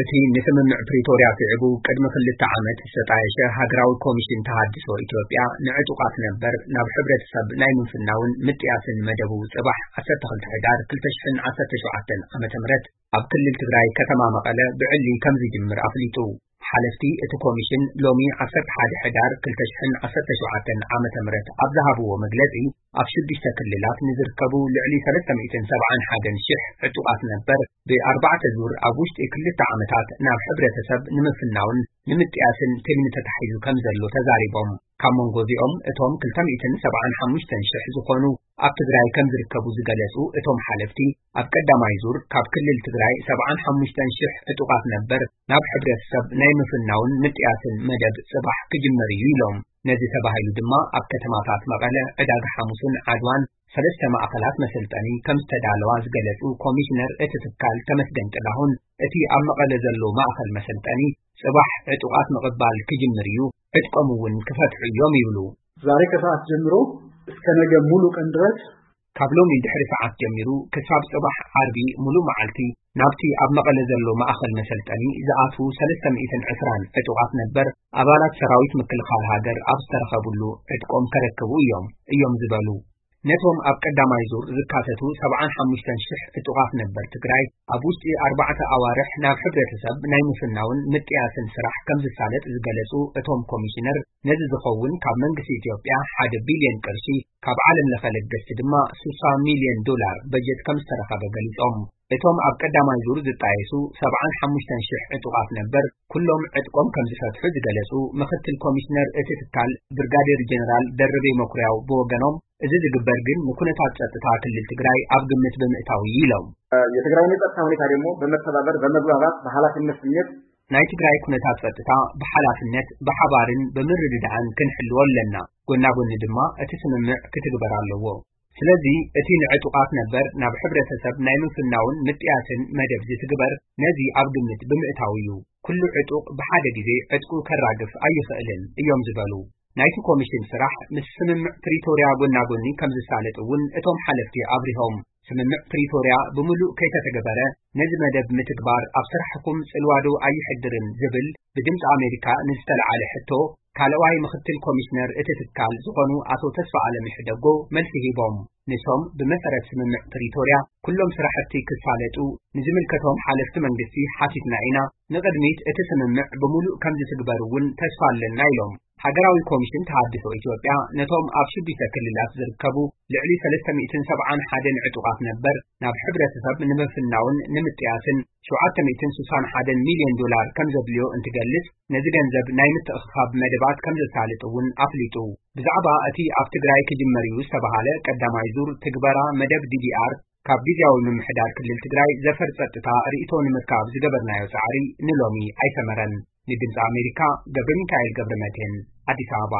እቲ ንስምምዕ ፕሪቶርያ ስዒቡ ቅድሚ ክልተ ዓመት ዝተጣየሸ ሃገራዊ ኮሚሽን ተሃድሶ ኢትዮጵያ፣ ንዕጡቓት ነበር ናብ ሕብረተሰብ ናይ ምፍናውን ምጥያስን መደቡ ጽባሕ ዓሰርተ ክልተ ሕዳር ክልተ ሽሕን ዓሰርተ ሸውዓተን ዓመተ ምህረት ኣብ ክልል ትግራይ ከተማ መቐለ ብዕሊ ከም ዝጅምር ኣፍሊጡ። ሓለፍቲ እቲ ኮሚሽን ሎሚ ዓሰርተ ሓደ ሕዳር ክልተ ሽሕን ዓሰርተ ሸውዓተን ዓመተ ምህረት ኣብ ዝሃብዎ መግለጺ፣ ኣብ ሽዱሽተ ክልላት ንዝርከቡ ልዕሊ ሰለስተ ሚእትን ሰብዓን ሓደን ሽሕ ዕጡቓት ነበር ብኣርባዕተ ዙር ኣብ ውሽጢ ክልተ ዓመታት ናብ ሕብረተሰብ ንምፍናውን ንምጥያስን ትልሚ ተታሒዙ ከም ዘሎ ተዛሪቦም። ካብ መንጎ እዚኦም እቶም ክልተ ሚእትን ሰብዓን ሓሙሽተን ሽሕ ዝኾኑ ኣብ ትግራይ ከም ዝርከቡ ዝገለጹ እቶም ሓለፍቲ፣ ኣብ ቀዳማይ ዙር ካብ ክልል ትግራይ ሰብዓን ሓሙሽተን ሽሕ ዕጡቓት ነበር ናብ ሕብረተሰብ ናይ ምፍናውን ምጥያስን መደብ ጽባሕ ክጅመር እዩ ኢሎም። ነዚ ተባሂሉ ድማ ኣብ ከተማታት መቐለ፣ ዕዳጋ ሓሙስን ዓድዋን ሰለስተ ማእኸላት መሰልጠኒ ከም ዝተዳለዋ ዝገለጹ ኮሚሽነር እቲ ትካል ተመስገን ጥላሁን፣ እቲ ኣብ መቐለ ዘሎ ማእኸል መሰልጠኒ ጽባሕ ዕጡቓት ምቕባል ክጅምር እዩ፣ ዕጥቆም እውን ክፈትሑ እዮም ይብሉ። ዛሬ ከሰዓት ጀምሮ እስከ ነገ ሙሉ ቀን ድረስ፣ ካብ ሎሚ ድሕሪ ሰዓት ጀሚሩ ክሳብ ጽባሕ ዓርቢ ሙሉ መዓልቲ ናብቲ ኣብ መቐለ ዘሎ ማእኸል መሰልጠኒ ዝኣትዉ ሰለስተ ሚእትን ዕስራን ዕጡቓት ነበር ኣባላት ሰራዊት ምክልኻል ሃገር ኣብ ዝተረኸቡሉ ዕጥቆም ከረክቡ እዮም እዮም ዝበሉ። ነቶም ኣብ ቀዳማይ ዙር ዝካተቱ ሰብዓን ሓሙሽተን ሽሕ ዕጡቓት ነበር ትግራይ ኣብ ውሽጢ ኣርባዕተ ኣዋርሕ ናብ ሕብረተሰብ ናይ ምፍናውን ምጥያስን ስራሕ ከም ዝሳለጥ ዝገለጹ እቶም ኮሚሽነር፣ ነዚ ዝኸውን ካብ መንግስቲ ኢትዮጵያ ሓደ ቢልዮን ቅርሺ፣ ካብ ዓለም ለኸ ለገስቲ ድማ ስሳ ሚልዮን ዶላር በጀት ከም ዝተረኸበ ገሊጾም። እቶም ኣብ ቀዳማይ ዙር ዝጣየሱ ሰብዓን ሓሙሽተን ሽሕ ዕጡቓት ነበር ኩሎም ዕጥቆም ከም ዝፈትሑ ዝገለጹ ምክትል ኮሚሽነር እቲ ትካል ብርጋዴር ጀነራል ደርቤ መኩርያው ብወገኖም፣ እዚ ዝግበር ግን ንኩነታት ጸጥታ ክልል ትግራይ ኣብ ግምት ብምእታው እዩ ኢሎም። የትግራይን የጸጥታ ሁኔታ ደግሞ በመተባበር በመግባባት በኃላፊነት ስሜት ናይ ትግራይ ኩነታት ጸጥታ ብሓላፍነት ብሓባርን ብምርድዳእን ክንሕልዎ ኣለና። ጎና ጎኒ ድማ እቲ ስምምዕ ክትግበር ኣለዎ። ስለዚ እቲ ንዕጡቓት ነበር ናብ ሕብረተሰብ ናይ ምፍናውን ምጥያስን መደብ ዝትግበር ነዚ ኣብ ግምት ብምእታው እዩ። ኩሉ ዕጡቕ ብሓደ ግዜ ዕጥቁ ከራግፍ ኣይኽእልን እዮም ዝበሉ። ናይቲ ኮሚሽን ስራሕ ምስ ስምምዕ ፕሪቶርያ ጎና ጎኒ ከም ዝሳለጥ እውን እቶም ሓለፍቲ ኣብሪሆም። ስምምዕ ፕሪቶርያ ብምሉእ ከይተተገበረ ነዚ መደብ ምትግባር ኣብ ስራሕኩም ጽልዋዶ ኣይሕድርን ዝብል ብድምፂ ኣሜሪካ ንዝተለዓለ ሕቶ ካልኣዋይ ምክትል ኮሚሽነር እቲ ትካል ዝኾኑ ኣቶ ተስፋ ኣለም ይሕደጎ መልሲ ሂቦም። ንሶም ብመሰረት ስምምዕ ፕሪቶርያ ኩሎም ስራሕቲ ክሳለጡ ንዝምልከቶም ሓለፍቲ መንግስቲ ሓቲትና ኢና። ንቕድሚት እቲ ስምምዕ ብምሉእ ከም ዝትግበር እውን ተስፋ ኣለና ኢሎም። ሃገራዊ ኮሚሽን ተሃድሶ ኢትዮጵያ ነቶም ኣብ ሽዱሽተ ክልላት ዝርከቡ ልዕሊ ሰለስተ ሚእትን ሰብዓን ሓደን ዕጡቓት ነበር ናብ ሕብረተሰብ ንምፍናውን ንምጥያስን ሸውዓተ ሚእትን ስሳን ሓደን ሚልዮን ዶላር ከም ዘድልዮ እንትገልጽ፣ ነዚ ገንዘብ ናይ ምትእኽኻብ መደባት ከም ዘሳልጥ እውን ኣፍሊጡ። ብዛዕባ እቲ ኣብ ትግራይ ክጅመር እዩ ዝተባሃለ ቀዳማይ ዙር ትግበራ መደብ ዲዲኣር ካብ ግዝያዊ ምምሕዳር ክልል ትግራይ ዘፈር ጸጥታ ርእይቶ ንምርካብ ዝገበርናዮ ጻዕሪ ንሎሚ ኣይሰመረን። ንድምፂ ኣሜሪካ ገብረ ሚካኤል ገብረ መድህን፣ ኣዲስ ኣበባ።